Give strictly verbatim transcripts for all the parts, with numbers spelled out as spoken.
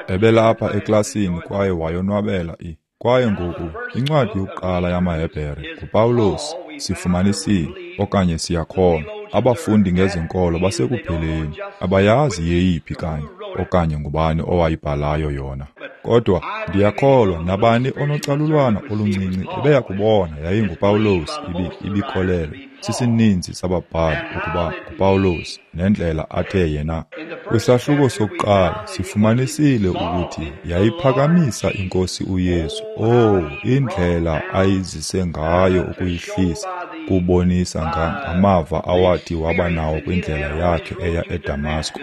Ebelapha eklasini kwaye wayonwabela i. Kwaye ngoku, incwadi yokuqala yamaHebhere nguPawulos, sifumanisile, okanye siyakholwa, abafundi ngezenkolo basekupheleni, abayazi yeyiphi kanye, okanye ngubani owayibhalayo yona. Kodwa ndiyakholwa nabani onocalulwana oluncinci ebeya kubona yayinguPawulos ibi ibikholelwa sisininzi sababhali ukuba nguPawulos nendlela athe yena. Kwisahluko sokuqala sifumanisile ukuthi yayiphakamisa iNkosi uYesu. Oh, indlela ayizise ngayo ukuyihlisa, kubonisa ngamava awathi waba nawo kwindlela yakhe eya eDamasko.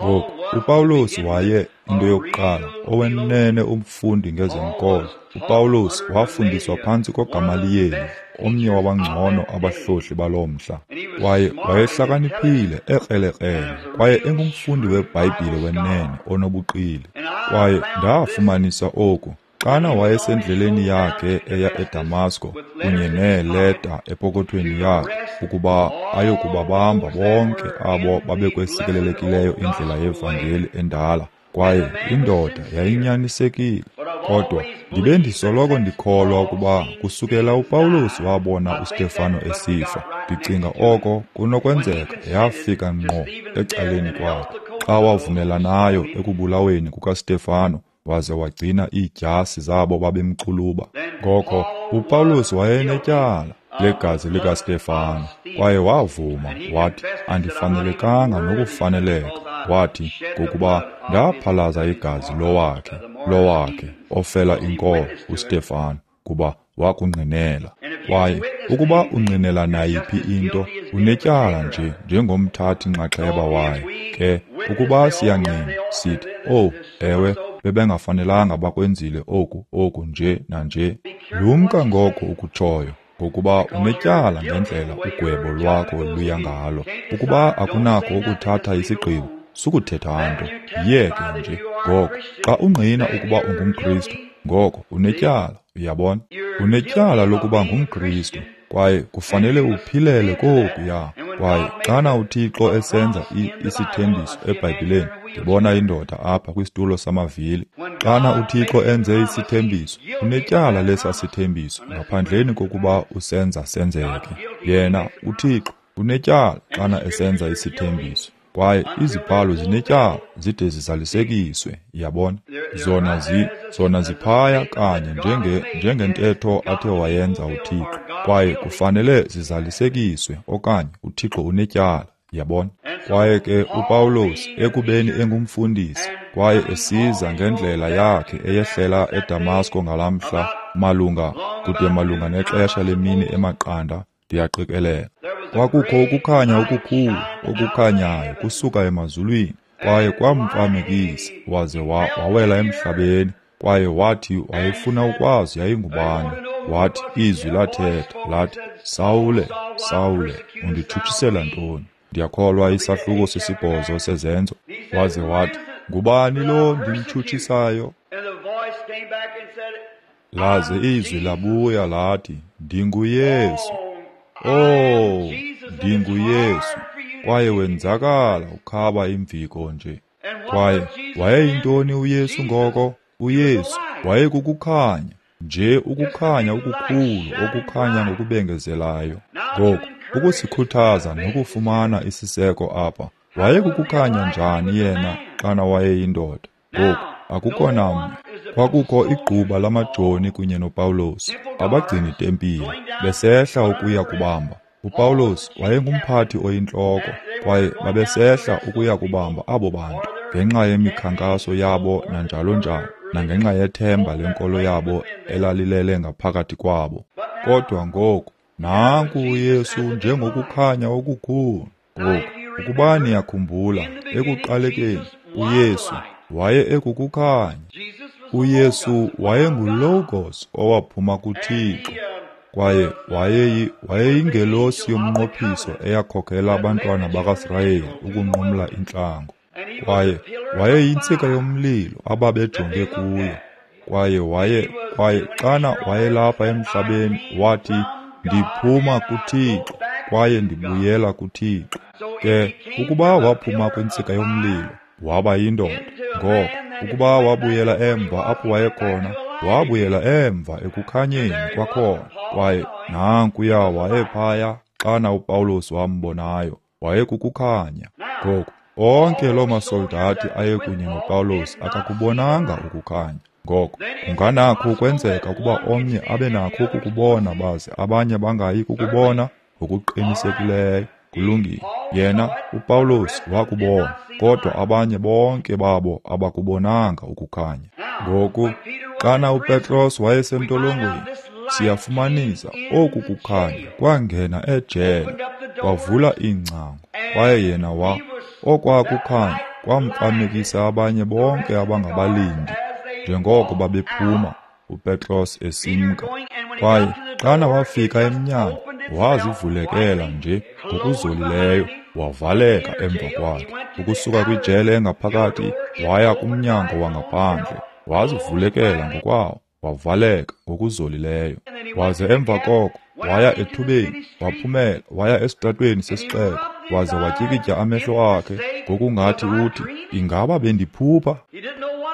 Ngoku uPawulos waye into yokuqala owenene umfundi ngezenkolo. UPawulos wafundiswa phantsi koGamaliyeli, omnye wabangcono abahlohli baloo mhla. Kwaye wayehlakaniphile, ekrelekrele, kwaye engumfundi weBhayibhile wenene onobuqili. Kwaye ndafumanisa oku xana wayesendleleni yakhe eya eDamasko kunye neeleta epokothweni yakhe ukuba ayokubabamba bonke abo babekwesikelelekileyo indlela yevangeli endala. Kwaye indoda yayinyanisekile. Kodwa ndibe ndisoloko ndikholwa ukuba kusukela uPawulos wabona uStefano esifa, ndicinga oko kunokwenzeka yafika ngqo ecaleni kwakhe xa wavumelanayo ekubulaweni kukaStefano waze wagcina iidyasi zabo babemxuluba. Ngoko uPawulos wayenetyala legazi likaStefano, kwaye wavuma wathi, andifanelekanga nokufaneleka, wathi, ngokuba ndaphalaza igazi lowakhe lowakhe ofela inkolo uStefano, kuba wakungqinela. Kwaye ukuba ungqinela nayiphi into, unetyala nje njengomthathi nxaxheba wayo. Ke ukuba siyangqina sithi, oh ewe, bebengafanelanga bakwenzile oku oku nje nanje. Lumka ngoko ukutshoyo, ngokuba unetyala ngendlela ugwebo lwakho luya ngalo. Ukuba akunakho ukuthatha isigqibo, sukuthetha nto, yiyeke nje. Ngoko xa ungqina ukuba ungumKristu, ngoko unetyala, uyabona? Unetyala lokuba ngumKristu, kwaye kufanele uphilele kokuya. Kwaye xana uThixo esenza isithembiso eBhayibhileni, ndibona indoda apha kwisitulo samavili. Xana uThixo enze isithembiso, unetyala lesa sithembiso ngaphandleni kokuba usenza senzeke. Yena uThixo unetyala xana esenza isithembiso, kwaye izibhalo zinetyala zide zizalisekiswe, uyabona? Zona zi zona ziphaya kanye njenge njengentetho athe wayenza uThixo, kwaye kufanele zizalisekiswe okanye uThixo unetyala, uyabona? Kwaye ke uPawulos ekubeni engumfundisi kwaye esiza ngendlela yakhe eyehlela eDamasko ngalamhla, malunga kude malunga nexesha lemini emaqanda, ndiyaqikelela, kwakukho ukukhanya okukhulu okukhanyayo kusuka emazulwini, kwaye kwamfamekisa waze wawela emhlabeni. Kwaye wathi wayefuna ukwazi yayingubani. Wathi izwi lathetha lathi, Sawule, Sawule, unditshutshisela ntoni? Ndiyakholwa isahluko sesibhozo seZenzo. Waze wathi, ngubani lo ndimtshutshisayo? Laze izwi labuya lathi, ndinguYesu. Oh, ndinguYesu. Kwaye wenzakala ukhaba imviko nje. Kwaye wayeyintoni uYesu ngoko? uYesu wayekukukhanya nje, ukukhanya okukhulu okukhanya ngokubengezelayo. Ngoku ukusikhuthaza nokufumana isiseko apha, wayekukukhanya njani yena xana wayeyindoda? Ngoku akukho namnye. Kwakukho igquba lamajoni kunye noPawulos, abagcini tempile, besehla ukuya kubamba. UPawulos wayengumphathi oyintloko, kwaye babesehla ukuya kubamba abo bantu ngenxa yemikhankaso yabo nanjalo njalo, nangenxa yethemba lenkolo yabo elalilele ngaphakathi kwabo. Kodwa ngoku nanku uYesu njengokukhanya okukhulu. Ngoku ukuba niyakhumbula, ekuqalekeni uYesu waye ekukukhanya. uYesu wayenguLogos owaphuma kuThixo, kwaye wayeyi wayeyingelosi yomnqophiso eyakhokela abantwana bakaSirayeli ukunqumla intlango. Kwaye wayeyintsika yomlilo ababejonge kuyo. Kwaye waye kwaye xana wayelapha emhlabeni wathi, ndiphuma kuThixo kwaye ndibuyela kuThixo. Ke ukuba waphuma kwintsika yomlilo, waba yindoda. Ngoko ukuba wabuyela emva apho wayekhona, wabuyela emva ekukhanyeni kwakhona. Kwaye nankuya wayephaya xana uPawulos wambonayo, wayekukukhanya. Ngoku onke loo masoldati ayekunye noPawulos akakubonanga ukukhanya. Ngoko kunganakho ukwenzeka ukuba omnye abe nakho ukukubona baze abanye bangayi kukubona? Ngokuqinisekileyo. Kulungile. Yena uPawulos wakubona, kodwa abanye bonke babo abakubonanga ukukhanya. Ngoku xana uPetros wayesentolongweni, siyafumanisa oku kukhanya kwangena ejele, kwavula iingcango, kwaye yena wa okwakukhanya kwamfamekisa abanye bonke abangabalindi njengoko babephuma, uPetros esimka. Kwaye xana wafika emnyango, wazivulekela nje ngokuzolileyo, wavaleka emva kwakhe. Ukusuka kwijele engaphakathi waya kumnyango wangaphandle, wazivulekela ngokwawo, wavaleka ngokuzolileyo. Waze emva koko waya ethubeni, waphumela waya esitratweni sesixeko, waze watyikitya amehlo akhe ngokungathi uthi, ingaba bendiphupha?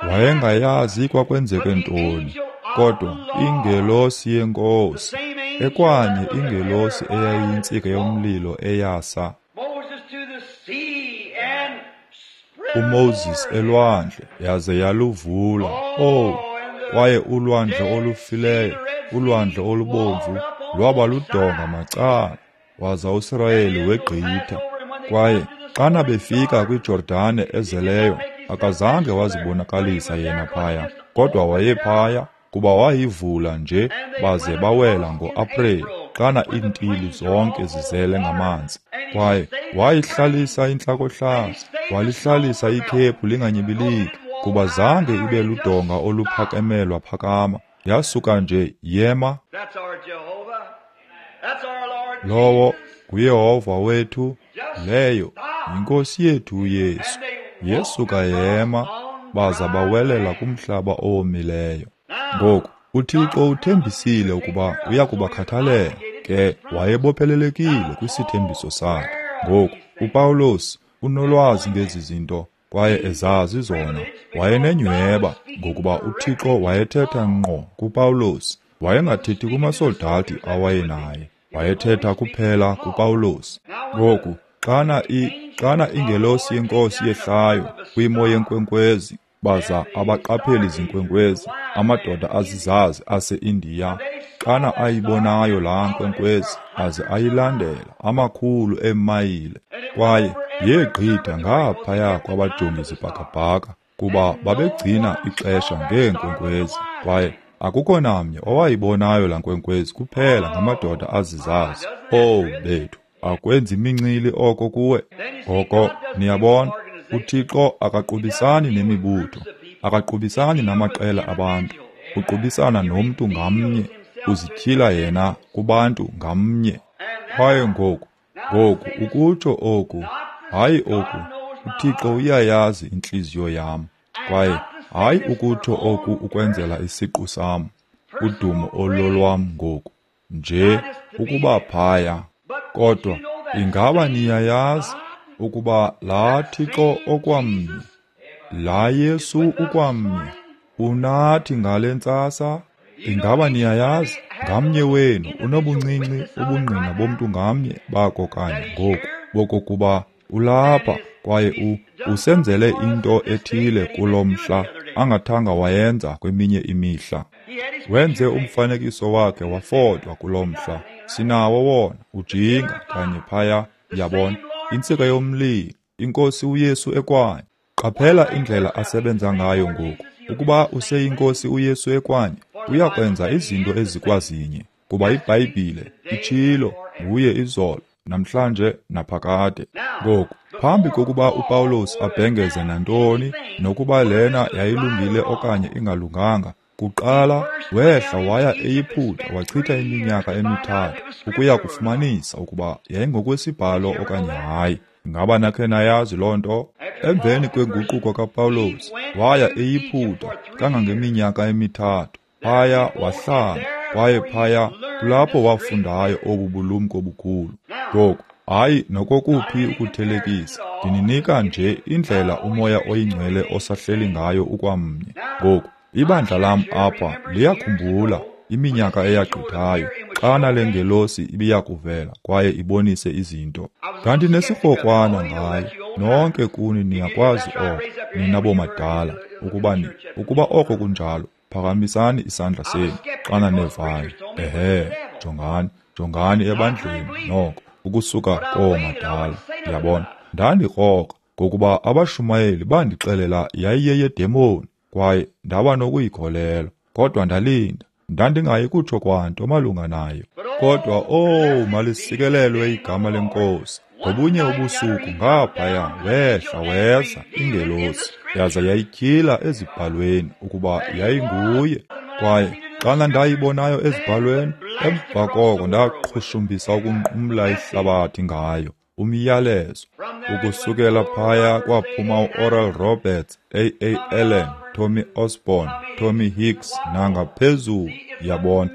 Wayengayazi kwakwenzeke ntoni, kodwa ingelosi yeNkosi, ekwanye ingelosi eyayiyintsika yomlilo eyasa uMoses elwandle yaze yaluvula. Oh, kwaye ulwandle olufileyo, ulwandle olubomvu, lwaba ludonga macala, waza uSirayeli wegqitha. Kwaye xana befika kwiJordane ezeleyo, akazange wazibonakalisa yena phaya, kodwa wayephaya kuba wayivula nje, baze bawela ngoAprili xana iintili zonke zizele ngamanzi. Kwaye wayihlalisa intlakohlaza, walihlalisa ikhephu linganyibiliki, kuba zange ibe ludonga oluphakemelwa phakama, yasuka nje yema. Lowo nguYehova wethu, leyo yinkosi yethu uYesu. Yesuka yema, baza bawelela kumhlaba owomileyo. Ngoku uThixo uthembisile ukuba uyakubakhathalela, ke wayebophelelekile kwisithembiso sakhe. Ngoku uPawulos unolwazi ngezi zinto kwaye ezazi zona. Wayenenyhweba ngokuba uThixo wayethetha ngqo kuPawulos, wayengathethi kumasoldati awayenaye, wayethetha kuphela kuPawulos. Ngoku xana i xana ingelosi yeNkosi yehlayo kwimo yenkwenkwezi, baza abaqapheli zinkwenkwezi, amadoda azizazi ase-Indiya, xana ayibonayo laa nkwenkwezi aze ayilandela amakhulu eemayile, kwaye yegqitha ngaphaya kwabajongi zibhakabhaka, kuba babegcina ixesha ngeenkwenkwezi. Kwaye akukho namnye owayibonayo laa nkwenkwezi kuphela ngamadoda azizazi. Oh bethu, akwenzi imincili oko kuwe? Ngoko niyabona, uThixo akaqubisani nemibutho, akaqubisani namaqela abantu, uqubisana nomntu ngamnye, uzityhila yena kubantu ngamnye. Kwaye ngoku, ngoku ukutsho oku, hayi oku, uThixo uyayazi intliziyo yam, kwaye hayi ukutsho oku ukwenzela isiqu sam, udumo ololwam ngoku, nje ukuba phaya. Kodwa ingaba niyayazi ukuba laa Thixo okwamnye, laa Yesu ukwamnye, unathi ngale ntsasa? Ingaba niyayazi ngamnye wenu unobuncinci ubungqina bomntu ngamnye bako kanye ngoku bokokuba ulapha kwaye u usenzele into ethile kulo mhla angathanga wayenza kweminye imihla. Wenze umfanekiso wakhe wafotwa kulo mhla. Sinawo wona ujinga kanye phaya, yabona, intsika yomlilo, iNkosi uYesu ekwanye. Qaphela indlela asebenza ngayo ngoku. Ukuba useyinkosi uYesu ekwanye, uyakwenza izinto ezikwazinye, kuba iBhayibhile itshilo nguye izolo, namhlanje naphakade. Ngoku, phambi kokuba uPawulos abhengeze nantoni, nokuba lena yayilungile okanye ingalunganga, kuqala wehla waya eYiputa wachitha iminyaka emithathu ukuya kufumanisa ukuba yayingokwesibhalo okanye hayi. Ingaba nakhe nayazi loo nto? Emveni kwenguquko kaPawulos, waya eYiputa kangangeminyaka emithathu. Phaya wahlala, kwaye phaya kulapho wafundayo obu bulumko bukhulu. Ngoku, Hayi nokokuphi ukuthelekisa, ndininika nje indlela uMoya oyiNgcwele osahleli ngayo ukwamnye. Ngoku, ibandla lam apha liyakhumbula iminyaka eyagqithayo xana le ngelosi ibiyakuvela kwaye ibonise izinto. Ndandinesirhokwana ngayo. Nonke kuni niyakwazi oko, nina bomadala, ukuba ni, ukuba oko kunjalo, phakamisani isandla senu xana nevayo. Ehe, jongani, jongani ebandleni noko, ukusuka koomadala. Ndiyabona, ndandikrokra ngokuba abashumayeli bandixelela yayiyeyedemoni kwaye ndaba nokuyikholelwa, kodwa ndalinda. Ndandingayi kutsho kwanto malunga nayo. Kodwa, oh, malisikelelwe igama leNkosi. Ngobunye ubusuku ngaphaya wehla weza ingelosi, yaza yayityhila ezibhalweni ukuba yayinguye. Kwaye xana ndayibonayo ezibhalweni, emva koko ndaqhushumbisa ukunqumla ihlabathi ngayo, umyalezo. Ukusukela phaya kwaphuma u-Oral Roberts, A A Allen, Tommy Osborne, Tommy Hicks nangaphezulu, yabona.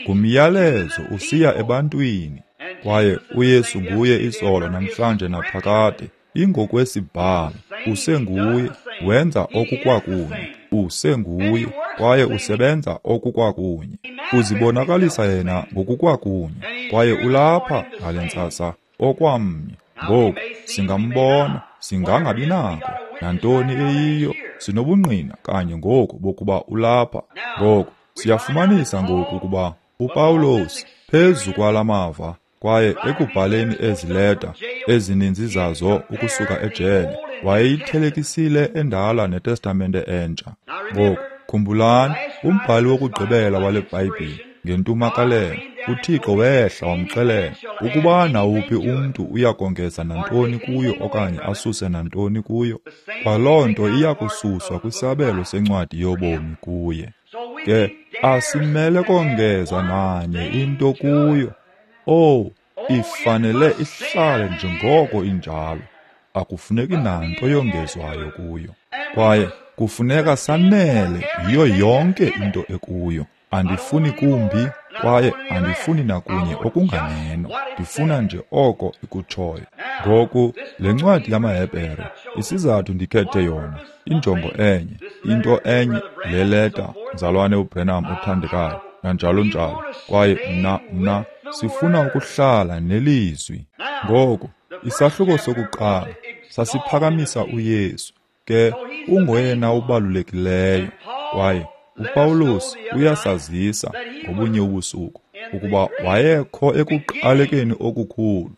Ngumyalezo usiya ebantwini. Kwaye uYesu nguye izolo namhlanje naphakade. Ingokwesibhalo, usenguye, wenza okukwakunye, usenguye, kwaye usebenza okukwakunye. Uzibonakalisa yena ngokukwakunye, kwaye ulapha ngale ntsasa okwamnye. Ngoku singambona, singangabi nako nantoni eyiyo, sinobungqina kanye ngoku bokuba ulapha. Ngoku siyafumanisa ngoku ukuba uPawulos phezu kwalamava kwaye ekubhaleni ezi leta ezininzi zazo ukusuka ejele, wayeyithelekisile endala neTestamente entsha. Ngoku khumbulani, umbhali wokugqibela wale Bhayibhile ngentumakalelo, uThixo wehla wamxelela ukuba nawuphi umntu uyakongeza nantoni kuyo okanye asuse nantoni kuyo, kwaloo nto iyakususwa kwisabelo sencwadi yobomi kuye. Ke asimele kongeza nanye into kuyo. Oh, ifanele ihlale njengoko injalo. Akufuneki nanto yongezwayo kuyo. Kwaye kufuneka sanele yiyo yonke into ekuyo. Andifuni kumbi kwaye andifuni nakunye okunganeno. Ndifuna nje oko ikutshoyo. Ngoku, le ncwadi yamaHebhere, isizathu ndikhethe yona, injongo enye, into enye, le leta, mzalwane uBrenham othandekayo, nanjalo njalo. Kwaye mna, mna, sifuna ukuhlala nelizwi. Ngoku, isahluko sokuqala sasiphakamisa uYesu, ke ungoyena ubalulekileyo. Kwaye uPawulos uyasazisa ngobunye ubusuku ukuba wayekho ekuqalekeni okukhulu.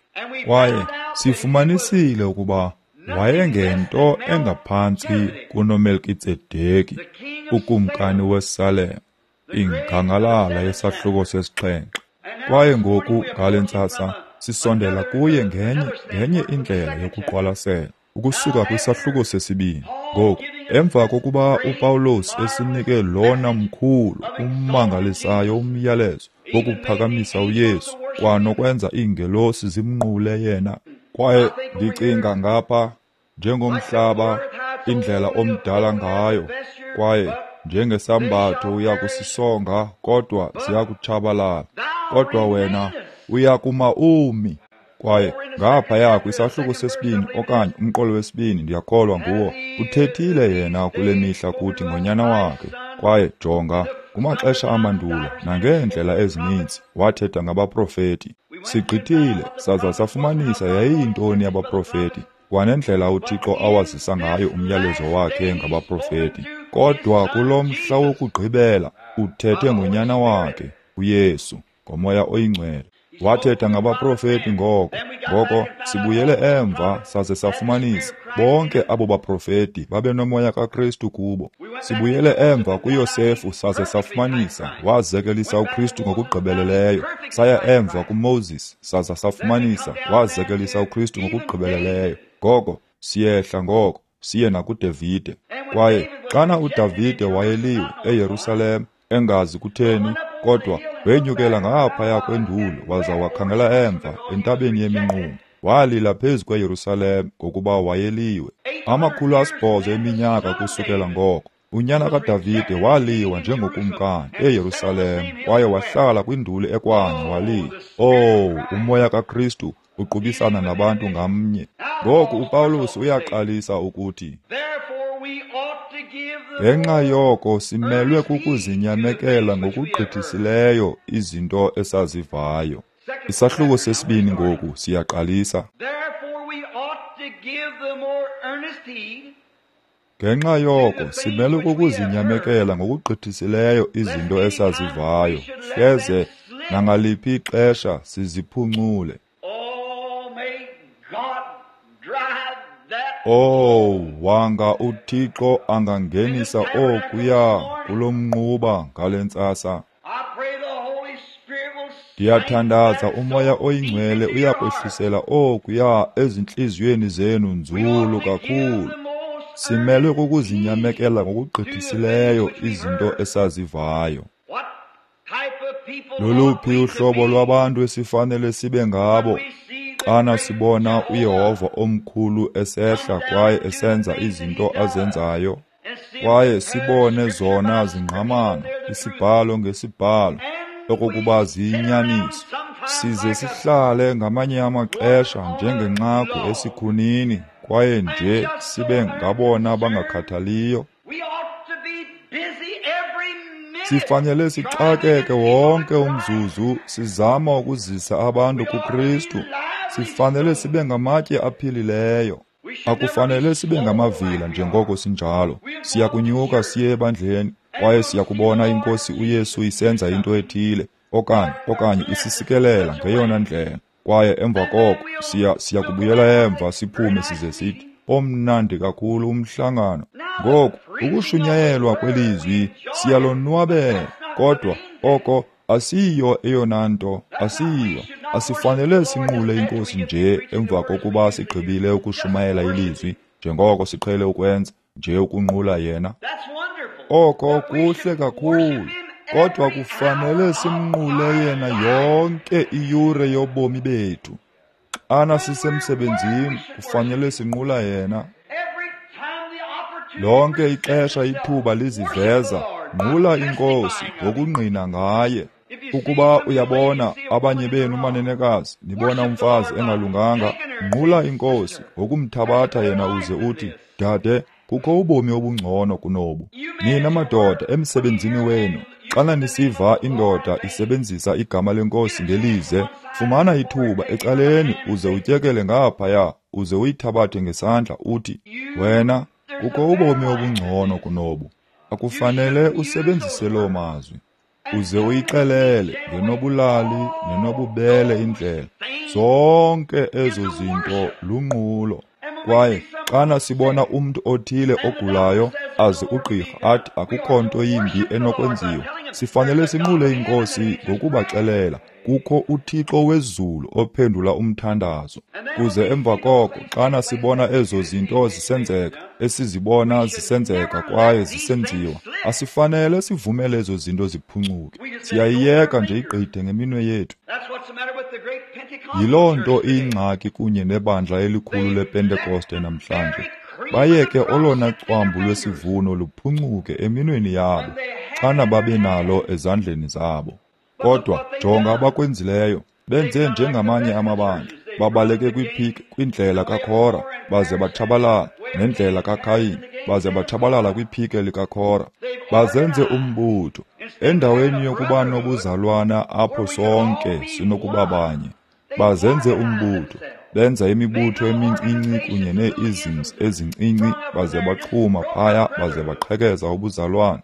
Kwaye sifumanisile ukuba wayengento engaphantsi kunoMelkitsedeki, ukumkani weSalem, ingangalala yesahluko sesixhenxe. Kwaye ngoku ngale ntsasa sisondela kuye ngenye ngenye indlela yokuqwalasela, ukusuka kwisahluko sesibini. Ngoku, emva kokuba uPawulos esinike lona mkhulu ummangalisayo umyalezo wokuphakamisa uYesu kwanokwenza iingelosi zimnqule yena. Kwaye ndicinga ngapha njengomhlaba indlela omdala ngayo, kwaye njengesambatho uyakusisonga kodwa ziyakutshabalala, kodwa wena uyakuma umi. Kwaye ngaphaya kwisahluko sesibini okanye umqolo wesibini, ndiyakholwa nguwo, uthethile yena kule mihla kuthi ngonyana wakhe. Kwaye jonga, kumaxesha amandulo nangeendlela ezininzi wathetha ngabaprofeti. Sigqithile saza safumanisa yayiyintoni abaprofeti, kwanendlela uThixo awazisa ngayo umyalezo wakhe ngabaprofeti. Kodwa kulo mhla wokugqibela uthethe ngonyana wakhe uYesu ngoMoya oyiNgcwele. Wathetha ngabaprofeti ngoko. Ngoko sibuyele emva saze safumanisa bonke abo baprofeti babenomoya kaKristu kubo. Sibuyele emva kuYosefu saze safumanisa wazekelisa uKristu ngokugqibeleleyo. Saya emva kuMoses saza safumanisa wazekelisa uKristu ngokugqibeleleyo. Ngoko siyehla ngoko siye nakuDavide. Kwaye xana uDavide wayeliwe eYerusalem engazi kutheni, kodwa wenyukela ngaphaya kwendulo waza wakhangela emva entabeni yeminqumo. Walila phezu kweYerusalem ngokuba wayeliwe. Amakhulu asibhozo eminyaka kusukela ngoko, unyana kaDavide waliwa njengokumkani eYerusalem kwaye wahlala kwinduli ekwanye walila. Oh, umoya kaKristu Uqubisana nabantu ngamnye. Ngoku uPawulos uyaqalisa ukuthi, ngenxa yoko simelwe kukuzinyamekela ngokugqithisileyo izinto esazivayo. Isahluko sesibini ngoku siyaqalisa. Ngenxa yoko simelwe kukuzinyamekela ngokugqithisileyo izinto esazivayo, hleze nangaliphi ixesha siziphuncule. Oh, wanga uThixo angangenisa okuya kulo mnquba ngale ntsasa. Ndiyathandaza uMoya oyiNgcwele uyakwehlisela okuya ezintliziyweni zenu nzulu kakhulu. Simelwe kukuzinyamekela ngokugqithisileyo izinto esazivayo. Loluphi uhlobo lwabantu esifanele sibe ngabo xana sibona uYehova omkhulu esehla kwaye esenza izinto azenzayo, kwaye sibone zona zingqamana isibhalo ngesibhalo okokuba ziyinyaniso, size sihlale ngamanye amaxesha njengenxagu esikhunini kwaye nje sibe ngabona bangakhathaliyo. Sifanele sixakeke wonke umzuzu sizama ukuzisa abantu kuKristu. Sifanele sibe ngamatye aphilileyo. Akufanele sibe ngamavila njengoko sinjalo. Siyakunyuka siye ebandleni kwaye siyakubona iNkosi uYesu isenza into ethile okanye okanye isisikelela ngeyona ndlela. Kwaye emva koko siya siyakubuyela emva siphume size sithi, omnandi kakhulu umhlangano. Ngoku ukushunyayelwa kwelizwi siyalonwabela, kodwa oko asiyo eyona nto, asiyo. Asifanele sinqule iNkosi nje emva kokuba sigqibile ukushumayela ilizwi, njengoko siqhele ukwenza, nje ukunqula yena. Oko kuhle kakhulu, kodwa kufanele simnqule yena yonke iyure yobomi bethu. Xana sisemsebenzini, kufanele sinqula yena. Lonke ixesha ithuba liziveza, nqula iNkosi ngokungqina ngaye. Ukuba uyabona abanye benu manenekazi, nibona umfazi engalunganga, nqula iNkosi ngokumthabatha yena uze uthi, dade, kukho ubomi obungcono kunobu. Nina madoda emsebenzini wenu, xana nisiva indoda isebenzisa igama leNkosi ngelize, fumana ithuba ecaleni uze utyekele ngaphaya, uze uyithabathe ngesandla uthi, wena, kukho ubomi obungcono kunobu. Akufanele usebenzise loo mazwi. Uze uyixelele ngenobulali nenobubele indlela. Zonke ezo zinto lunqulo. Kwaye xana sibona umntu othile ogulayo aze ugqirha athi akukho nto yimbi enokwenziwa, sifanele sinqule iNkosi ngokubaxelela kukho uThixo wezulu ophendula umthandazo. Kuze emva koko xana sibona ezo zinto zisenzeka, esizibona zisenzeka kwaye zisenziwa, asifanele sivumele ezo zinto ziphuncuke. Siyayiyeka nje igqithe ngeminwe yethu. Yiloo nto iyingxaki kunye nebandla elikhulu lePentekoste namhlanje. Bayeke olona cwambu lwesivuno luphuncuke eminweni yabo xana babe nalo ezandleni zabo. Kodwa jonga abakwenzileyo, benze njengamanye amabandla, babaleke kwiphiki kwindlela kaKhora, baze batshabalala nendlela kaKayin, baze batshabalala kwiphike likaKhora. Bazenze umbutho endaweni yokuba nobuzalwana apho sonke sinokuba banye. Bazenze umbutho, benza imibutho emincinci kunye nee-isms ezincinci, baze baxhuma phaya baze baqhekeza ubuzalwana.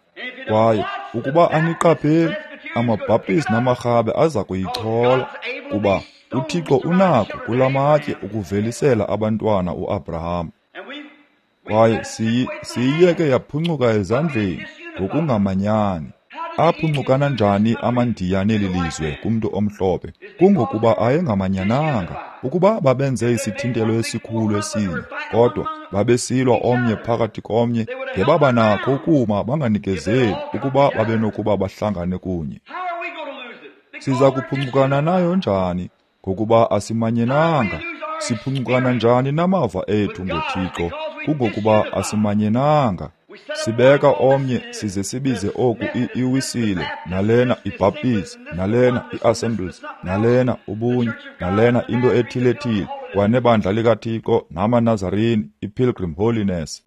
Kwaye ukuba aniqapheli, amaBhaptisti namarhabe aza kuyichola, kuba uThixo unako kula matye ukuvelisela abantwana uAbraham. Kwaye siyiyeke yaphuncuka ezandleni ngokungamanyani. Aphuncukana njani amaNdiya neli lizwe kumntu omhlophe? Kungokuba ayengamanyananga. Ukuba babenze isithintelo esikhulu esinye, kodwa babesilwa omnye phakathi komnye, ngebaba nakho ukuma banganikezeli ukuba babenokuba bahlangane kunye. Siza kuphuncukana nayo njani? Ngokuba asimanyenanga. Siphuncukana njani namava ethu ngoThixo? Kungokuba asimanyenanga. Sibeka omnye size sibize oku iWisile, nalena iBaptist, nalena iAssemblies, nalena ubunye, nalena into ethile-thile, kwanebandla likaThixo namaNazarini, iPilgrim Holiness.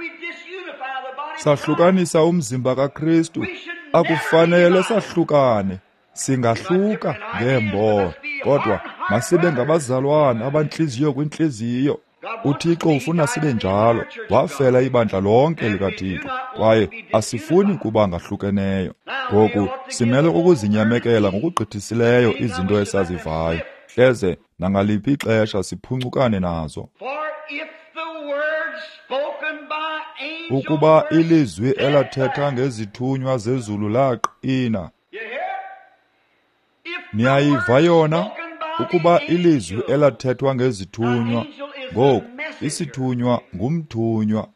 Sahlukanisa umzimba kaKristu. Akufanele sahlukane. Singahluka ngeembono, kodwa masibe ngabazalwana abantliziyo kwintliziyo. UThixo ufuna sibe njalo. Wafela ibandla lonke likaThixo, kwaye asifuni kuba ngahlukeneyo. Ngoku simele ukuzinyamekela ngokugqithisileyo izinto esazivayo, hleze nangaliphi ixesha siphuncukane nazo. Ukuba ilizwi elathetha ngezithunywa zezulu laqina, niyayiva yona? Ukuba ilizwi elathethwa ngezithunywa, ngoku isithunywa ngumthunywa.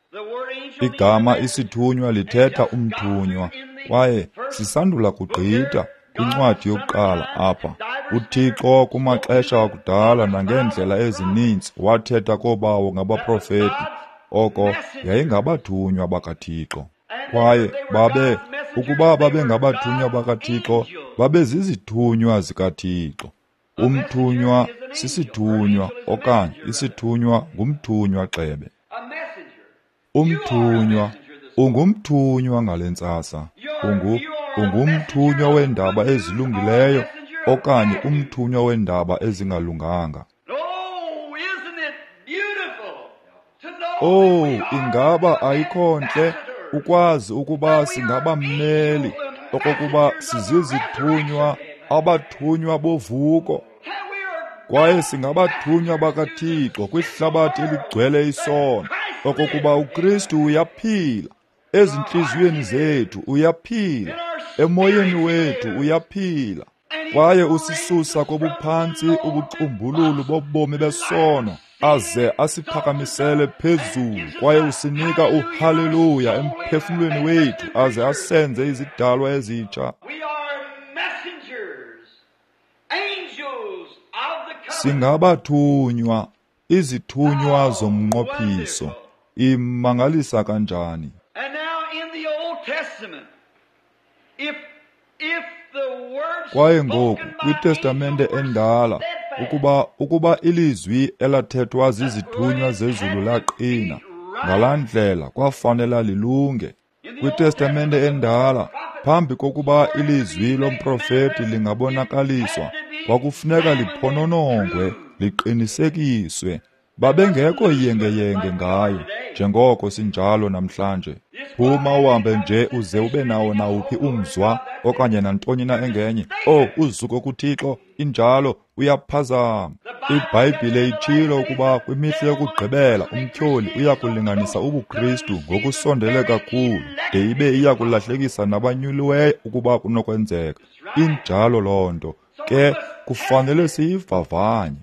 Igama isithunywa lithetha umthunywa, kwaye sisandula kugqitha kwincwadi yokuqala apha. UThixo kumaxesha akudala nangeendlela ezininzi wathetha koobawo ngabaprofeti, oko yayingabathunywa bakaThixo. Kwaye babe, ukuba babengabathunywa bakaThixo, babezizithunywa zikaThixo. Umthunywa sisithunywa, okanye isithunywa ngumthunywa gxebe. Umthunywa, ungumthunywa ngale ntsasa. Ungu, ungumthunywa weendaba ezilungileyo okanye umthunywa weendaba ezingalunganga. Oh, ingaba ayikho ntle ukwazi ukuba singabammeli, okokuba sizizithunywa, abathunywa bovuko, kwaye singabathunywa bakaThixo kwihlabathi eligcwele isono, okokuba uKristu uyaphila ezintliziyweni zethu, uyaphila emoyeni wethu, uyaphila, kwaye usisusa kobuphantsi ubucumbululu bobomi besono, aze asiphakamisele phezulu, kwaye usinika uhaleluya emphefumlweni wethu, aze asenze izidalwa ezitsha. Singabathunywa, izithunywa zomnqophiso. Imangalisa kanjani! Kwaye ngoku kwiTestamente endala, ukuba ukuba ilizwi elathethwa zizithunywa zezulu laqina, ngalaa ndlela kwafanela lilunge. KwiTestamente endala, phambi kokuba ilizwi lomprofeti lingabonakaliswa, kwakufuneka liphononongwe, liqinisekiswe. Babengekho yengeyenge ngayo, njengoko sinjalo namhlanje. Phuma uhambe nje uze ube nawo nawuphi umzwa okanye nantoni na engenye. Oh, uzuko kuThixo, injalo, uyaphazama. IBhayibhile itshilo ukuba kwimihla yokugqibela umtyholi uyakulinganisa ubuKristu ngokusondele kakhulu, de ibe iyakulahlekisa nabanyuliweyo ukuba kunokwenzeka. Injalo loo nto. Ke kufanele siyivavanye.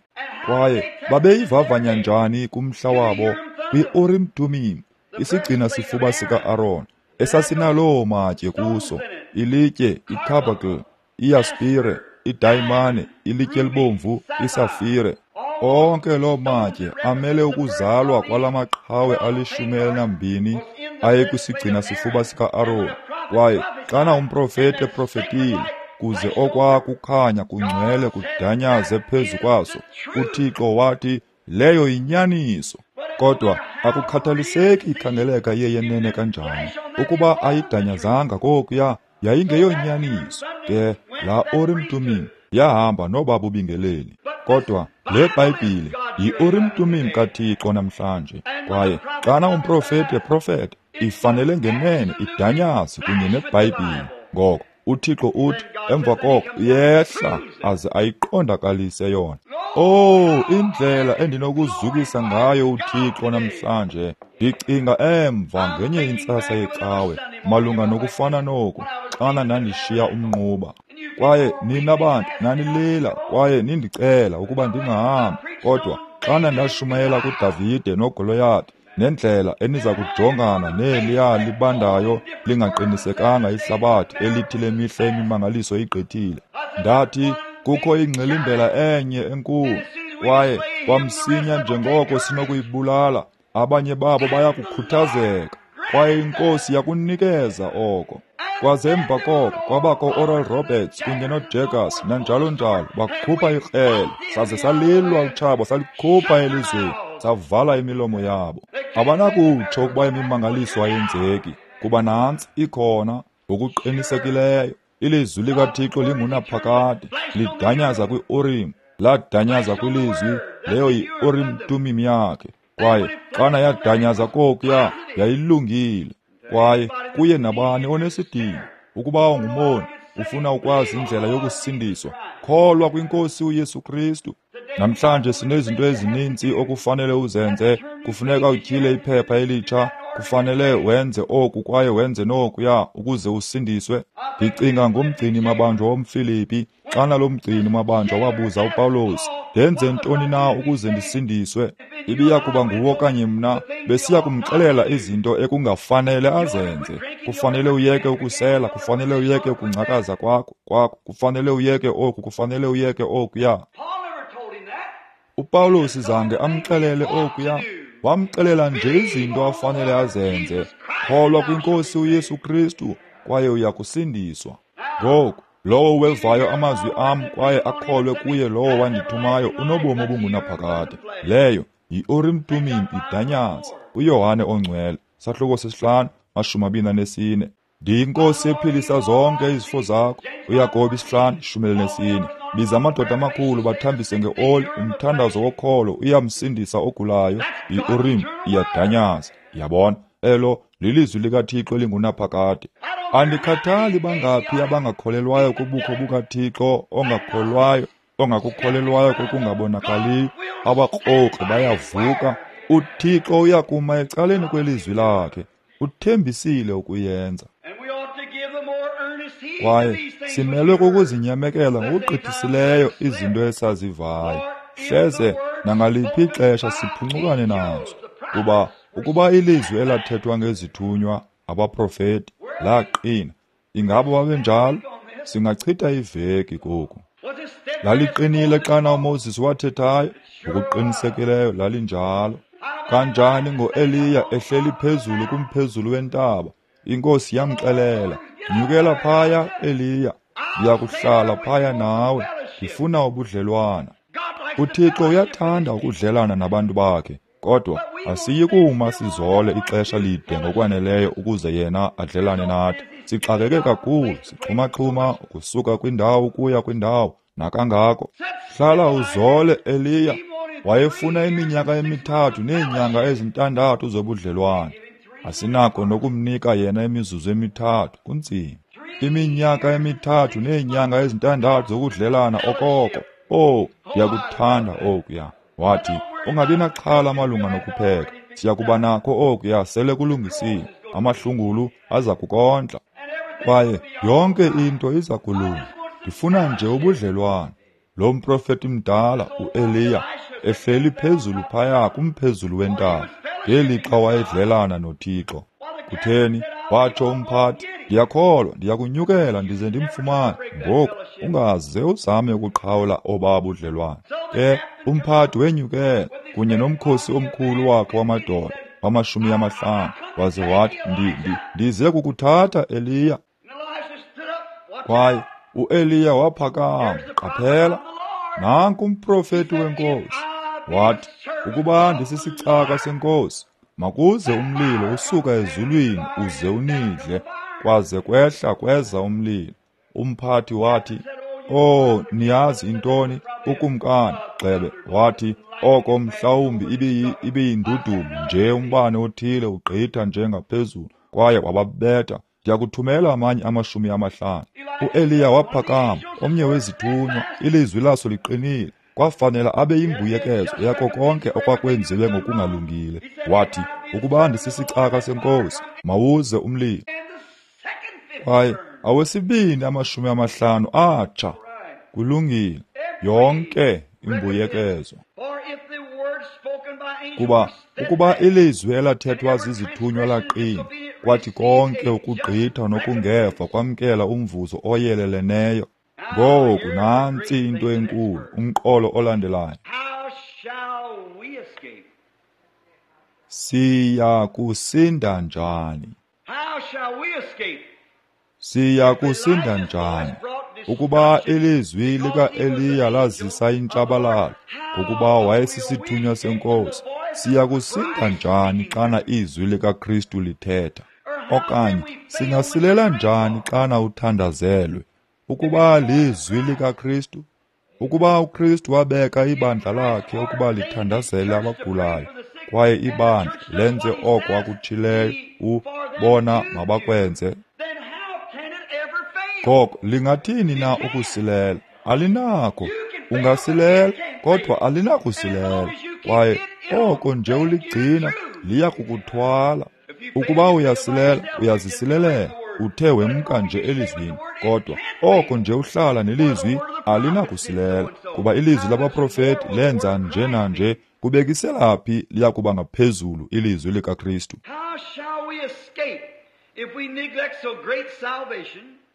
Kwaye babeyivavanya njani kumhla wabo? Kwi-Urim Tumim, isigcina sifuba sika-Aron, esasinaloo matye kuso, ilitye icarbuncle, iyaspire, idayimane, ilitye elibomvu, isafire. Onke loo matye amele ukuzalwa kwala maqhawe alishumi elinambini ayekwisigcina sifuba sika-Aron. Kwaye xana umprofeti eprofetile, kuze okwa kukhanya kungcwele kudanyaze phezu kwaso, uThixo wathi leyo yinyaniso. Kodwa akukhathaliseki ikhangeleka iyeyenene kanjani, ukuba ayidanyazanga kokuya, yayingeyonyaniso. Ke la Urim Tumim yahamba noba bubingeleli. Kodwa le Bhayibhile yi-Urim Tumim kaThixo namhlanje. Kwaye xana umprofeti eprofeta, ifanele ngenene idanyaze kunye neBhayibhile. Ngoko uThixo uthi emva koko uyehla aze ayiqondakalise yona. Oh, indlela endinokuzukisa ngayo uThixo namhlanje. Ndicinga emva ngenye intsasa yecawe malunga nokufana noku, xana ndandishiya umnquba. Kwaye nina bantu nanilila kwaye nindicela ukuba ndingahambi, kodwa xana ndashumayela kuDavide noGoliyathi nendlela eniza kujongana neliya libandayo lingaqinisekanga ihlabathi elithi lemihla imimangaliso igqithile, ndathi kukho ingxilimbela enye enkulu, kwaye kwamsinya njengoko sinokuyibulala, abanye babo bayakukhuthazeka. Kwaye iNkosi yakunikeza oko. Kwaze emva koko kwabakho Oral Roberts kunye noJaggers nanjalo njalo, bakhupha ikrele, saze salilwa utshaba, salikhupha elizweni, savala imilomo yabo. Abanakutsho ukuba imimangaliso ayenzeki, kuba nantsi ikhona ngokuqinisekileyo. Ilizwi likaThixo lingunaphakade, lidanyaza kwi-Urim, ladanyaza kwilizwi, leyo yi-Urim Tumim yakhe. Kwaye xana yadanyaza kokuya, yayilungile. Kwaye kuye nabani onesidingo, ukuba ungumoni, ufuna ukwazi indlela yokusindiswa, kholwa kwiNkosi uYesu Kristu. Namhlanje sinezinto ezininzi okufanele uzenze. Kufuneka utyhile iphepha elitsha, kufanele wenze oku kwaye wenze nokuya ukuze usindiswe. Ndicinga ngomgcini mabanjwa womFilipi. Xana lo mgcini mabanjwa wabuza uPawulos, ndenze ntoni na ukuze ndisindiswe? Ibiya kuba nguwo okanye mna, besiya kumxelela izinto ekungafanele azenze. Kufanele uyeke ukusela, kufanele uyeke ukungcakaza kwakho, kwakho, kufanele uyeke oku, kufanele uyeke okuya. UPawulos zange amxelele okuya, wamxelela nje izinto afanele azenze. Kholwa kwiNkosi uYesu Kristu kwaye uya kusindiswa. Ngoku, lowo wevayo amazwi am kwaye akholwe kuye lowo wandithumayo unobomi obungunaphakade. Leyo yi-Urim Tumim idanyaza. UYohane oNgcwele, sahluko sesihlanu, mashumi abini anesine. NdiyiNkosi ephilisa zonke izifo zakho. UYakobi isihlanu, ishumi elinesine. Biza amadoda amakhulu bathambise ngeoli, umthandazo wokholo uyamsindisa ogulayo. I-Urim iyadanyaza. Yabona, elo lilizwi likaThixo elingunaphakade. Andikhathali bangaphi abangakholelwayo kubukho bukaThixo, ongakholwayo, ongakukholelwayo kokungabonakaliyo, abakrokri bayavuka. UThixo uyakuma ecaleni kwelizwi lakhe. Uthembisile ukuyenza. Kwaye simelwe kukuzinyamekela ngokugqithisileyo izinto esazivayo, hleze nangaliphi ixesha siphuncukane nazo. Kuba ukuba ilizwi elathethwa ngezithunywa abaprofeti laqina, ingaba babenjalo? Singachitha iveki koku. Laliqinile xana uMoses wathethayo, ngokuqinisekileyo lalinjalo. Kanjani ngoEliya ehleli phezulu kumphezulu wentaba, iNkosi yamxelela, nyukela phaya Eliya, ndiyakuhlala phaya nawe, ndifuna ubudlelwana. UThixo uyathanda ukudlelana nabantu bakhe, kodwa asiyi kuma sizole ixesha lide ngokwaneleyo ukuze yena adlelane nathi. Sixakeke kakhulu, sixhumaxhuma ukusuka kwindawo ukuya kwindawo nakangako. Hlala uzole Eliya. Wayefuna iminyaka emithathu neenyanga ezintandathu zobudlelwane. Asinako nokumnika yena imizuzu emithathu, kunzima. Iminyaka emithathu neenyanga ezintandathu zokudlelana okoko. Oh, ndiyakuthanda okuya. Wathi, ungabi naxhala malunga nokupheka. Siyakuba nakho okuya sele kulungisiwe. Amahlungulu aza kukondla. Kwaye yonke into iza kulunga. Ndifuna nje ubudlelwane. Lo mprofeti mdala uEliya ehleli phezulu phaya kumphezulu wentaba ngelixa wayedlelana noThixo. Kutheni? Watsho umphathi, ndiyakholwa, ndiyakunyukela ndize ndimfumane. Ngoku ungaze uzame ukuqhawula obaa budlelwane. Ke umphathi wenyukela kunye nomkhosi omkhulu wakhe wamadoda wamashumi amahlanu, waze wathi, ndi, ndi, ndize kukuthatha Eliya. Kwaye uEliya waphakama, qaphela, nanku umprofeti weNkosi. Wathi, ukuba ndisisicaka seNkosi, makuze umlilo usuka ezulwini uze unidle. Kwaze kwehla kweza umlilo. Umphathi wathi, oh, niyazi intoni? Ukumkani gxebe wathi, oko mhlawumbi ibiyindudumo nje, umbane othile ugqitha nje ngaphezulu. Kwaye wababetha. Ndiyakuthumela amanye amashumi amahlanu. UEliya waphakama, omnye wezithunywa, ilizwi laso liqinile. Kwafanela abe yimbuyekezo yako konke okwakwenziwe ngokungalungile. Wathi, ukuba ndisisicaka seNkosi, mawuze umlilo. Kwaye awesibini amashumi amahlanu atsha. Kulungile, yonke imbuyekezo. Kuba ukuba ilizwi elathethwa zizithunywa laqina, kwathi konke ukugqitha nokungeva kwamkela umvuzo oyeleleneyo. Ngoku nantsi into enkulu, umqolo olandelayo. Siya kusinda njani? Siya kusinda njani? Ukuba ilizwi lika-Eliya lazisa intshabalalo, ngokuba wayesisithunywa senkosi, siya kusinda njani xana izwi likaKristu lithetha? Okanye singasilela njani xana uthandazelwe? Ukuba lizwi likaKristu, ukuba uKristu wabeka ibandla lakhe ukuba lithandazele abagulayo, kwaye ibandla lenze oko akutshileyo ubona mabakwenze, ngoko lingathini na ukusilela? Alinakho. Ungasilela, kodwa alinakusilela. Kwaye oko nje uligcina liya kukuthwala. Ukuba uyasilela, uyazisilelela. Uthe wemka nje elizwini, kodwa oko nje uhlala nelizwi alinakusilela, kuba ilizwi labaprofeti lenza nje nanje. Kubekisela phi liya kuba ngaphezulu ilizwi likaKristu?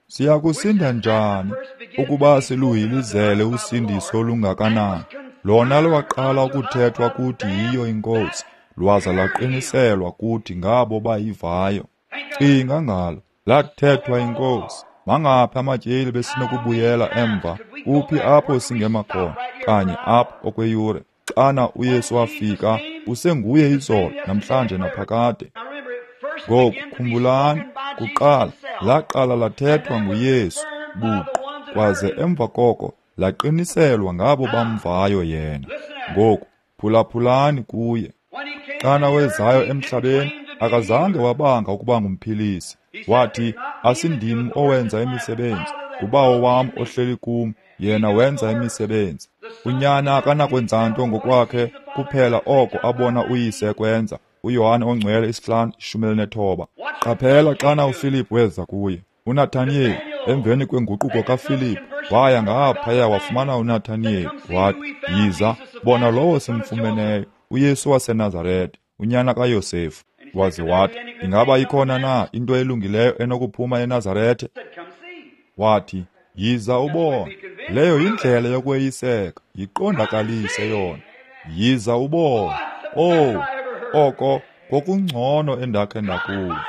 Siya kusinda njani ukuba siluhilizele usindiso olungakanani? Lona lwaqala ukuthethwa kuthi yiyo iNkosi, lwaza lwaqiniselwa kuthi ngabo bayivayo. Cinga ngalo, lathethwa iNkosi. Mangaphi amatyeli besinokubuyela emva? Kuphi apho singema khona? Kanye apho okweyure. Xana uYesu wafika, usenguye izolo, namhlanje naphakade. Ngoku khumbulani, kuqala laqala lathethwa nguYesu buqu, kwaze emva koko laqiniselwa ngabo bamvayo yena. Ngoku phulaphulani kuye. Xana wezayo emhlabeni, akazange wabanga ukuba ngumphilisi. Wathi, asindim owenza imisebenzi, nguBawo wam ohleli kum, yena wenza imisebenzi. Unyana akanakwenza nto ngokwakhe, kuphela oko abona uyise kwenza. uYohane ongcwele isihlanu ishumi elinethoba. Qaphela xana uFilip weza kuye. uNathaniyeli, emveni kwenguquko kaFilip, waya ngaphaya wafumana uNathaniyeli, wathi, yiza, bona lowo simfumeneyo, uYesu waseNazarete, unyana kaYosefu. Waze wathi, ingaba ikhona na into elungileyo enokuphuma eNazarete? Wathi, yiza ubone. Leyo yindlela yokweyiseka, yiqondakalise yona. Yiza ubone. Oh, oko kokungcono endakhe ndakuva.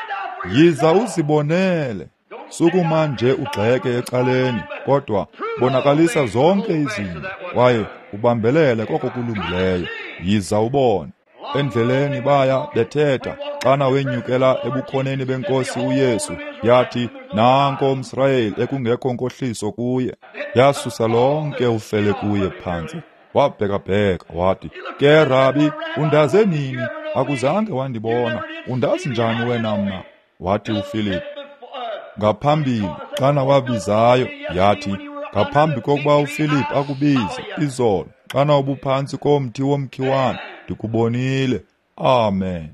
Yiza uzibonele. Sukuma nje ugxeke ecaleni, kodwa bonakalisa zonke izinto, kwaye ubambelele koko kulungileyo. Yiza ubone. Endleleni baya bethetha, xana wenyukela ebukhoneni benkosi uYesu, yathi, nanko umSirayeli ekungekho nkohliso kuye. Yasusa lonke ufele kuye phantsi. Wabhekabheka wathi, ke Rabi, undaze nini? Akuzange wandibona. Undazi njani wena mna? Wathi uFilip, ngaphambili xana wabizayo, yathi, ngaphambi kokuba uFilip akubize izolo, xana ubuphantsi komthi womkhiwane, ndikubonile. Amen.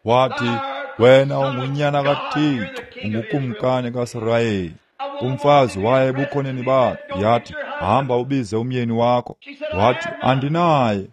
Wathi, wena ungunyana kaThixo, ungukumkani kaSirayeli. Umfazi waye ebukhoneni bakhe, yathi, hamba ubize umyeni wakho. Wathi, andinaye.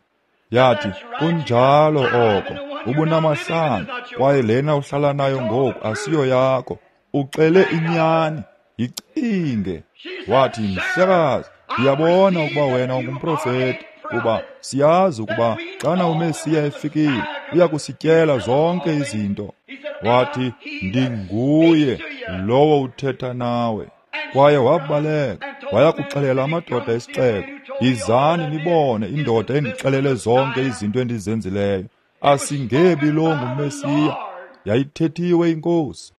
Yathi, kunjalo oko, ubunamahlanu, kwaye lena uhlala nayo ngoku asiyo yakho. Uxele inyani, yicinge. Wathi, mhlekazi, ndiyabona ukuba wena ungumprofeti, kuba siyazi ukuba xana uMesiya efikile, uya kusityela zonke izinto. Wathi, ndinguye lowo uthetha nawe. Kwaye wabaleka, waya kuxelela amadoda esixeko, yizani nibone indoda endixelele zonke izinto endizenzileyo. Asingebi lo nguMesiya? Yayithethiwe iNkosi.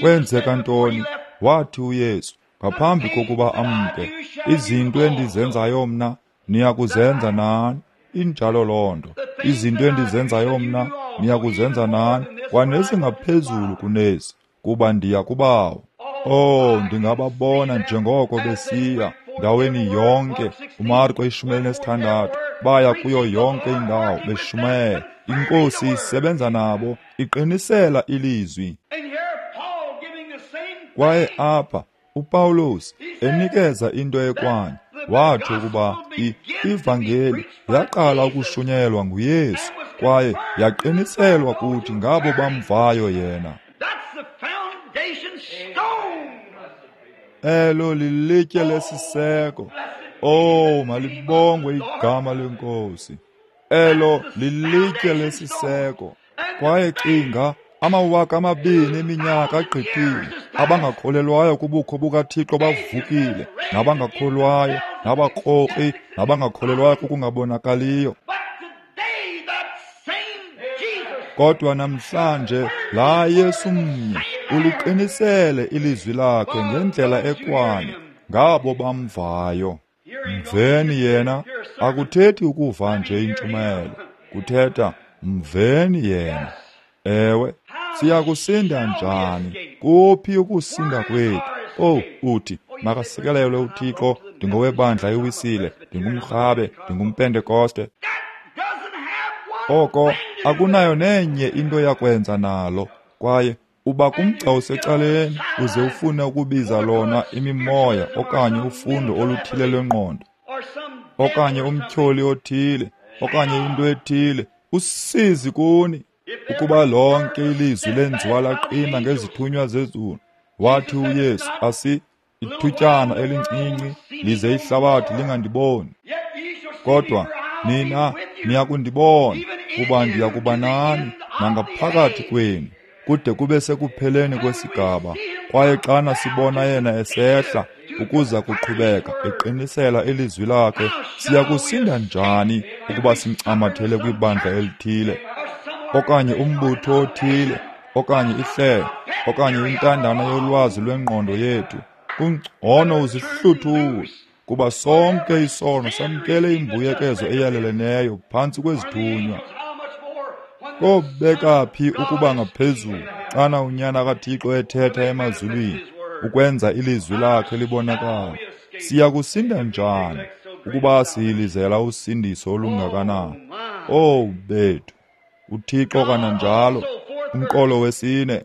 Kwenzeka ntoni? Wathi uYesu, ngaphambi kokuba amke, izinto endizenzayo mna niya kuzenza nani. Injalo loo nto. Izinto endizenzayo mna niya kuzenza nani, kwanezingaphezulu kunezi, kuba ndiya kuBawo. Oh, ndingababona njengoko besiya ndaweni yonke. uMarko ishumi elinesithandathu, baya kuyo yonke indawo beshumayela. INkosi isebenza nabo, iqinisela ilizwi. Kwaye apha uPawulos enikeza into ekwanye, wathi ukuba ivangeli yaqala ukushunyayelwa nguYesu, kwaye yaqiniselwa kuthi ngabo bamvayo yena. Elo lilitye lesiseko. Oh, malibongwe igama leNkosi. Elo lilitye lesiseko. Kwaye cinga, amawaka amabini eminyaka agqithile, abangakholelwayo kubukho bukaThixo bavukile, nabangakholwayo, nabakrokri, nabangakholelwayo kokungabonakaliyo. Kodwa namhlanje laa Yesu mnye uliqinisele ilizwi lakhe ngendlela ekwanye ngabo bamvayo. Mveni yena akuthethi ukuva nje intshumayelo, kuthetha mveni yena. Ewe, siyakusinda njani? Kuphi ukusinda kwethu? Oh, uthi makasikelelwe uThixo, ndingowebandla iWisile, ndingumRhabe, ndingumPentekoste. Oko akunayo nenye into yakwenza nalo. Kwaye uba kumgca usecaleni uze ufune ukubiza lona imimoya okanye ufundo oluthile lwengqondo okanye umtyholi othile okanye into ethile, usizi kuni. Ukuba lonke ilizwi lenziwa laqina ngezithunywa zezulu, wathi uYesu, asi ithutyana elincinci lize ihlabathi lingandiboni, kodwa nina niyakundibona, kuba ndiyakuba nani nangaphakathi kwenu kude kube sekupheleni kwesigaba. Kwaye xana sibona yena esehla ukuza kuqhubeka eqinisela ilizwi lakhe, siyakusinda njani ukuba simncamathele kwibandla elithile okanye umbutho othile okanye ihlelo okanye intandana yolwazi lwengqondo yethu? Kungcono uzihluthule, kuba sonke isono samkele imbuyekezo eyaleleneyo phantsi kwezithunywa. Kobeka phi ukuba ngaphezulu xana uNyana kaThixo ethetha emazulwini ukwenza ilizwi lakhe libonakale? Siyakusinda njani ukuba siyilizela usindiso olungakanani? Oh bethu, uThixo kananjalo, umqolo wesine,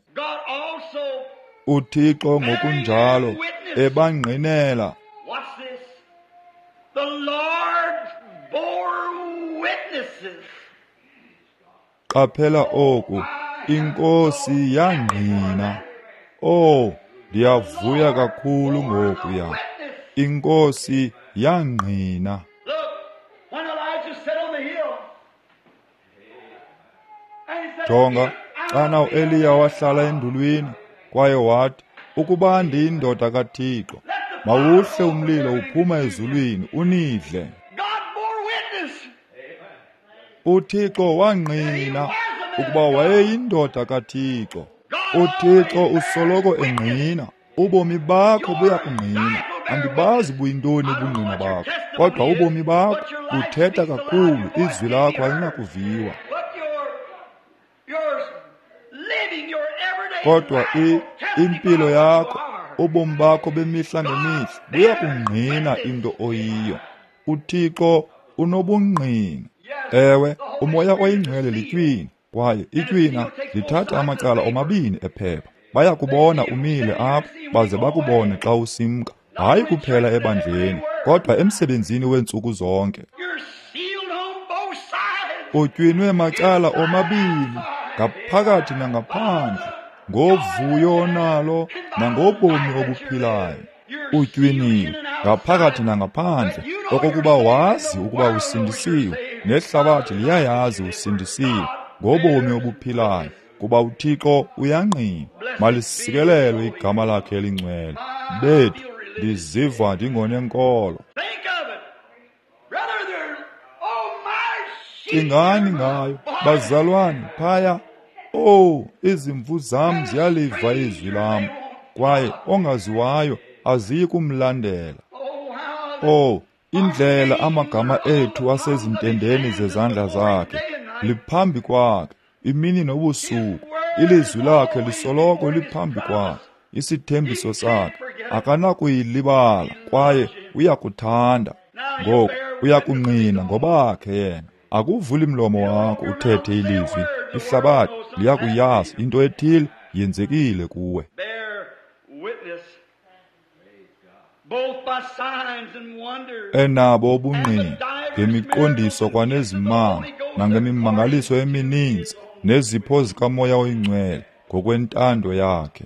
uThixo ngokunjalo ebangqinela. Qaphela oku, iNkosi yangqina. Oh, ndiyavuya kakhulu ngokuya. INkosi yangqina. Jonga, xana uEliya wahlala endulwini kwaye wathi, ukuba ndiyindoda kaThixo, mawuhle umlilo uphuma ezulwini unidle. uThixo wangqina ukuba wayeyindoda kaThixo. uThixo usoloko engqina. Ubomi bakho buyakungqina. Andibazi buyintoni ubungqina bakho, kodwa ubomi bakho buthetha kakhulu, izwi lakho alinakuviwa. Kodwa impilo yakho, ubomi bakho bemihla ngemihla buyakungqina into oyiyo. uThixo unobungqina. Ewe, uMoya oyiNgcwele litywina, kwaye itywina lithatha amacala omabini ephepha. Bayakubona umile apha, baze bakubone xa usimka, hayi kuphela ebandleni, kodwa emsebenzini weentsuku zonke. Utywinwe macala omabini, ngaphakathi nangaphandle, ngovuyo onalo nangobomi obuphilayo. Utywiniwe ngaphakathi nangaphandle, okokuba wazi ukuba usindisiwe, nehlabathi liyayazi usindisiwe ngobomi obuphilayo, kuba uThixo uyangqina. Malisikelelwe igama lakhe elingcwele. Bethu, ndiziva ndingonenkolo. Cingani ngayo, bazalwane, phaya. Oh, izimvu zam ziyaliva izwi lam, kwaye ongaziwayo aziyi kumlandela. Oh, indlela amagama ethu asezintendeni zezandla zakhe, liphambi kwakhe imini nobusuku. Ilizwi lakhe lisoloko liphambi kwakhe, isithembiso sakhe akanakuyilibala, kwaye uyakuthanda. Ngoku uyakungqina ngobakhe yena. Akuvuli mlomo wakho uthethe ilizwi, ihlabathi liyakuyazi into ethile yenzekile kuwe. Enabo ubungqina ngemiqondiso kwanezimanga nangemimangaliso emininzi nezipho zikaMoya oyiNgcwele ngokwentando yakhe.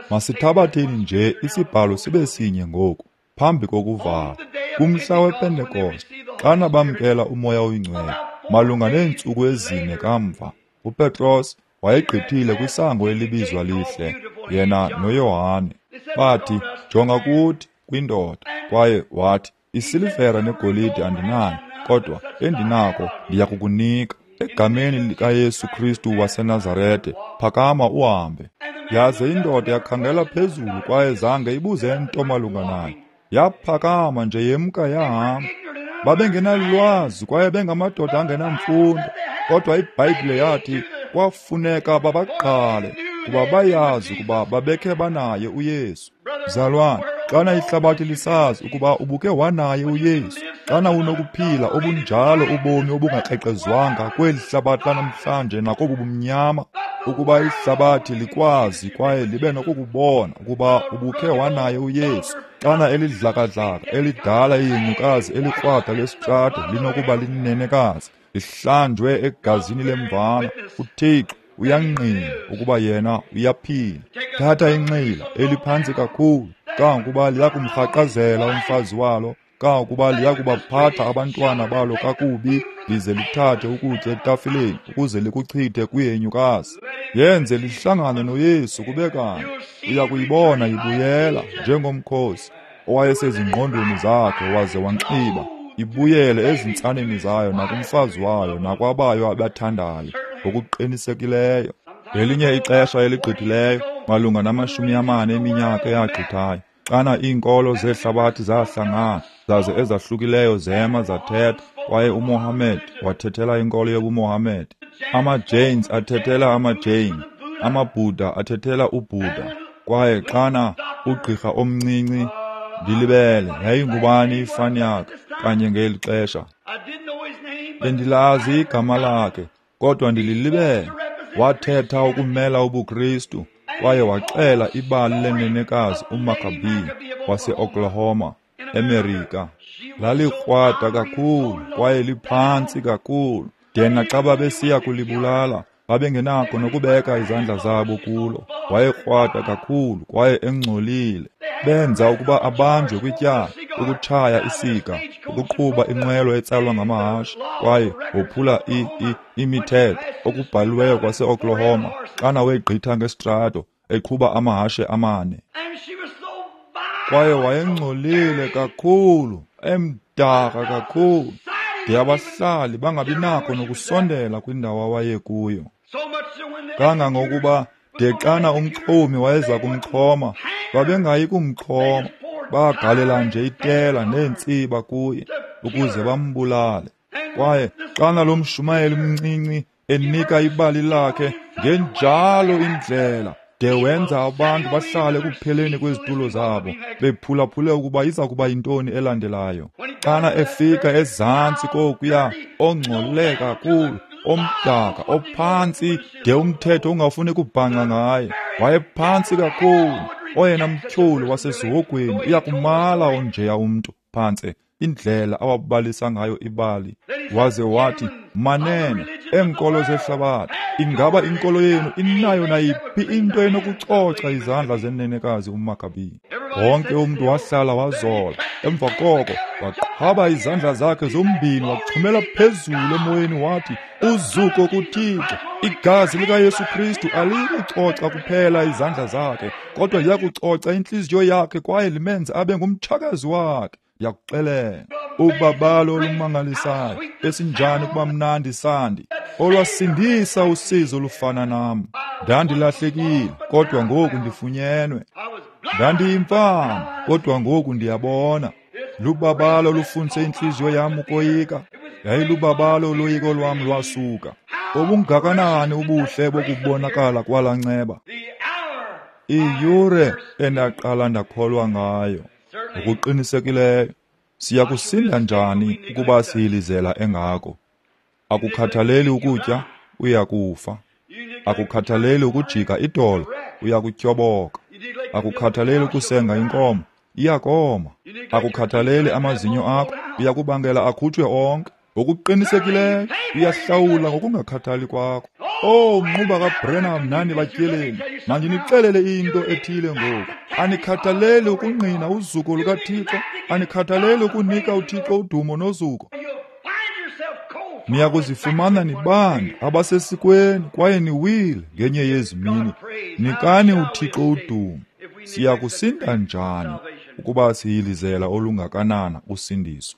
Masithabatheni nje isibhalo sibe sinye ngoku phambi kokuvala. Kumhla wePentekoste, xana bamkela uMoya oyiNgcwele, Malunga neentsuku ezine kamva, uPetros wayegqithile kwisango elibizwa Lihle, yena noYohane. Bathi, jonga kuthi, kwindoda. Kwaye wathi, isilivera negolide andinayo, kodwa endinako ndiyakukunika. Egameni likaYesu Kristu waseNazarete, phakama uhambe. Yaze indoda yakhangela phezulu kwaye zange ibuze nto malunga nayo. Yaphakama nje yemka yahamba. Babengenalwazi kwaye bengamadoda angenamfundo, kodwa iBhayibhile yathi kwafuneka babaqale kuba bayazi ukuba babekhe banaye uYesu. Mzalwane, xana ihlabathi lisazi ukuba ubuke wanaye uYesu, xana unokuphila obunjalo ubomi obungakrexezwanga kweli hlabathi lanamhlanje nakobu bumnyama, ukuba ihlabathi likwazi kwaye libe nokukubona ukuba ubukhe wanaye uYesu, xana elidlakadlaka elidala ihenyukazi elikrwada lesitrato linokuba linenekazi lihlanjwe egazini lemvana, uThixo uyangqina ukuba yena uyaphila. Thatha inxila eliphantsi kakhulu kangokuba liyakumrhaqazela umfazi walo, kangokuba liyakubaphatha abantwana balo kakubi, lize lithathe ukutya etafileni ukuze likuchithe kwihenyukazi. Yenze lihlangane noYesu kube kanye, uya kuyibona ibuyela njengomkhosi owayesezingqondweni zakhe waze wanxiba, ibuyele ezintsaneni zayo nakumfazi wayo nakwabayo abathandayo ngokuqinisekileyo. Ngelinye ixesha eligqithileyo, malunga namashumi amane eminyaka eyagqithayo, xana iinkolo zehlabathi zahlangana zaze ezahlukileyo zema zathetha, kwaye uMohammed wathethela inkolo yobuMohammed, amaJains athethela amaJain, amaBuddha athethela uBuddha. Kwaye xana ugqirha omncinci, ndilibele yayingubani ifani yakhe kanye ngeli xesha, bendilazi igama lakhe kodwa ndililibele, wathetha ukumela ubuKristu kwaye waxela ibali lenenekazi uMakabi wase-Oklahoma, eMerika. Lalikrwada kakhulu kwaye liphantsi kakhulu, de naxa babesiya kulibulala babengenako nokubeka izandla zabo kulo. Wayekrwada kakhulu kwaye engcolile. Benza ukuba abanjwe kwityala, ukutshaya isika, ukuqhuba inqwelo etsalwa ngamahashe, kwaye wophula imithetho okubhaliweyo kwase-Oklahoma xana wegqitha ngesitrato eqhuba amahashe amane. Kwaye wayengcolile kakhulu, emdaka kakhulu, de abahlali bangabinako nokusondela kwindawo awayekuyo. Kangangokuba de xana umxhomi wayeza kumxhoma, babengayi kumxhoma, bagalela nje itela neentsiba kuye ukuze bambulale. Kwaye xana lo mshumayeli mncinci enika ibali lakhe ngenjalo indlela, de wenza abantu bahlale ekupheleni kwezitulo zabo bephulaphule ukuba iza kuba yintoni elandelayo. Xana efika ezantsi kokuya, ongcole kakhulu, omdaka, ophantsi, de umthetho ungafuni kubhanqa ngaye, wayephantsi kakhulu. Oyena mtyholi wasesihogweni uyakumala onjeya umntu phantse indlela awabalisa ngayo ibali. Waze wathi, manene eenkolo zehlabathi, ingaba inkolo yenu inayo nayiphi into enokucoca izandla zenenekazi uMakabi? Wonke umntu wahlala wazola. Emva koko waqhwaba izandla zakhe zombini waxhumela phezulu emoyeni wathi, uzuko kuThixo, igazi likaYesu Kristu aliyikucoca kuphela izandla zakhe, kodwa liyakucoca intliziyo yakhe kwaye limenze abe ngumtshakazi wakhe. Ndiyakuxelela, ubabalo olumangalisayo, esinjani ukuba mnandi sandi, olwasindisa usizi olufana nam. Ndandilahlekile, kodwa ngoku ndifunyenwe. Ndandiyimfama, kodwa ngoku ndiyabona. Lubabalo olufundise intliziyo yam ukoyika, yayilubabalo uloyiko lwam lwasuka. Obungakanani ubuhle bokubonakala kwalaa nceba! Iyure endaqala ndakholwa ngayo. Ngokuqinisekileyo, siya kusinda njani ukuba siyilizela engako? Akukhathaleli ukutya, uya kufa. Akukhathaleli ukujika idolo, uya kutyoboka. Akukhathaleli ukusenga inkomo, iyakoma. Akukhathaleli amazinyo akho, uya kubangela akhutshwe onke. Ngokuqinisekileyo, uyahlawula ngokungakhathali kwakho. Oh, mnquba kaBrenham nani batyeleli, mandinixelele into ethile ngoku. Anikhathaleli ukungqina uzuko lukaThixo, anikhathaleli ukunika uThixo udumo nozuko. Niya kuzifumana nibanda abasesikweni kwaye niwile ngenye yezi mini. Nikani uThixo udumo. Siya kusinda njani ukuba siyilizela olungakanana usindiso?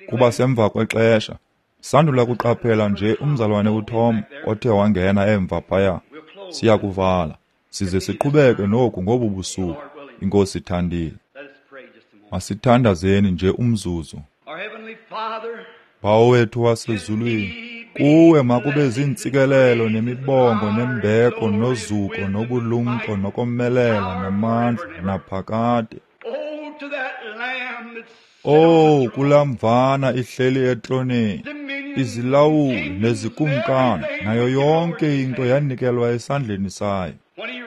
Kuba semva kwexesha. Sandula kuqaphela nje umzalwane uTom othe wangena emva phaya. Siya kuvala size siqhubeke noku ngobu busuku, iNkosi ithandile. Masithandazeni nje umzuzu. Bawo wethu wasezulwini, kuwe makube ziintsikelelo nemibongo nembeko nozuko nobulumko nokomelela namandla naphakade. Oh, kulaa mvana ihleli etroneni, izilawuli nezikumkani nayo yonke into yanikelwa esandleni sayo.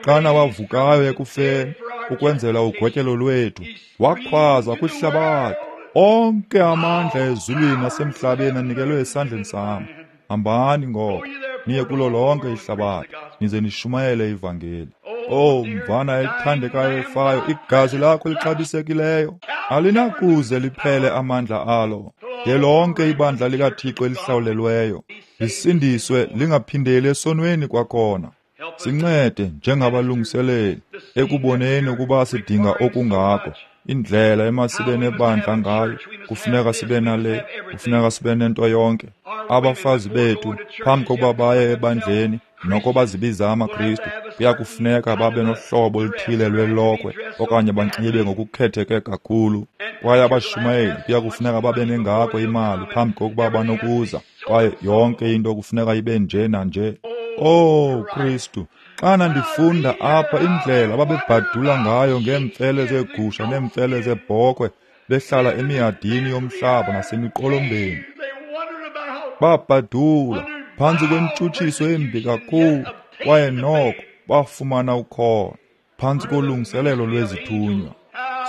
Xana wavukayo ekufeni ukwenzela ugotyelo lwethu, wakhwaza kwihlabathi, onke amandla ezulwini nasemhlabeni anikelwe esandleni sam. Hambani ngoko niye kulo lonke ihlabathi, nize nishumayele ivangeli. Oh, mvana ethandekayo efayo, igazi lakho lixabisekileyo alinakuze liphele amandla alo. De lonke ibandla likaThixo elihlawulelweyo lisindiswe lingaphindeli esonweni kwakhona. Sincede njengabalungiseleli ekuboneni ukuba sidinga okungako. Indlela emasibe nebandla ngayo, kufuneka sibe nale, kufuneka sibe nento yonke. Abafazi bethu phambi kokuba baye ebandleni noko bazibiza amaKristu, kuya kufuneka babe nohlobo oluthile lwelokhwe okanye banxibe ngokukhetheke kakhulu. Kwaye abashumayeli kuya kufuneka babe nengako imali phambi kokuba banokuza, kwaye yonke into kufuneka ibe nje nanje. Oh Kristu, xana ndifunda apha indlela ababebhadula ngayo ngeemfele zeegusha neemfele zeebhokhwe, behlala emihadini yomhlaba nasemiqolombeni. Babhadula phantsi kwentshutshiso embi kakhulu, kwaye noko bafumana ukholo phantsi kolungiselelo lwezithunywa.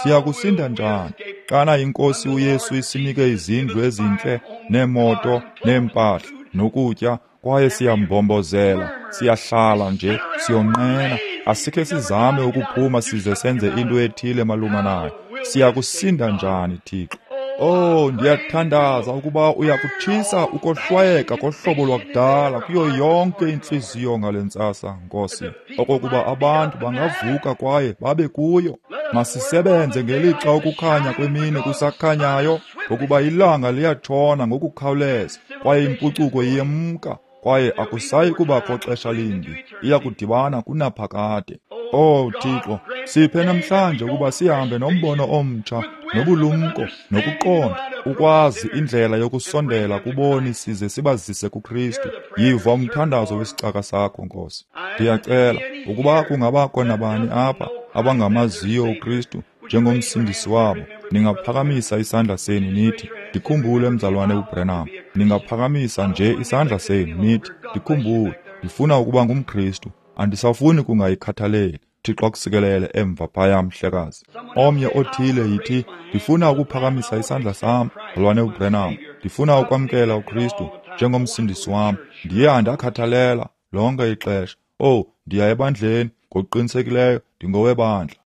Siya kusinda njani xana iNkosi uYesu isinike izindlu ezintle neemoto neempahla nokutya, kwaye siyambombozela, siyahlala nje, siyonqena, asikhe sizame ukuphuma size senze into ethile malunga nayo. Siya kusinda njani, Thixo? Oh, ndiyathandaza ukuba uyakutshisa ukohlwayeka kohlobo lwakudala kuyo yonke intliziyo ngale ntsasa, Nkosi, okokuba abantu bangavuka kwaye babe kuyo. Masisebenze ngelixa ukukhanya kwemini kusakhanyayo, ngokuba ilanga liyatshona ngokukhawuleza kwaye impucuko iyemka, kwaye akusayi kubakho xesha limbi, iya kudibana kunaphakade. Oh Thixo, siphe namhlanje ukuba sihambe nombono omtsha nobulumko nokuqonda, ukwazi indlela yokusondela kuboni size sibazise kuKristu. Yiva umthandazo wesicaka sakho, Nkosi. Ndiyacela ukuba kungabakho nabani apha abangamaziyo uKristu njengomsindisi wabo, ningaphakamisa isandla senu nithi, ndikhumbule mzalwane uBranham. Ningaphakamisa nje isandla senu nithi, ndikhumbule, ndifuna ukuba ngumKristu, andisafuni kungayikhathaleli. Thixo akusikelele emva phaya, mhlekazi. Omnye othile yithi, ndifuna ukuphakamisa isandla sam, mzalwane uBranham, ndifuna ukwamkela uKristu njengomsindisi wam. Ndiye andakhathalela lonke ixesha. Oh, ndiya ebandleni ngokuqinisekileyo, ndingowebandla.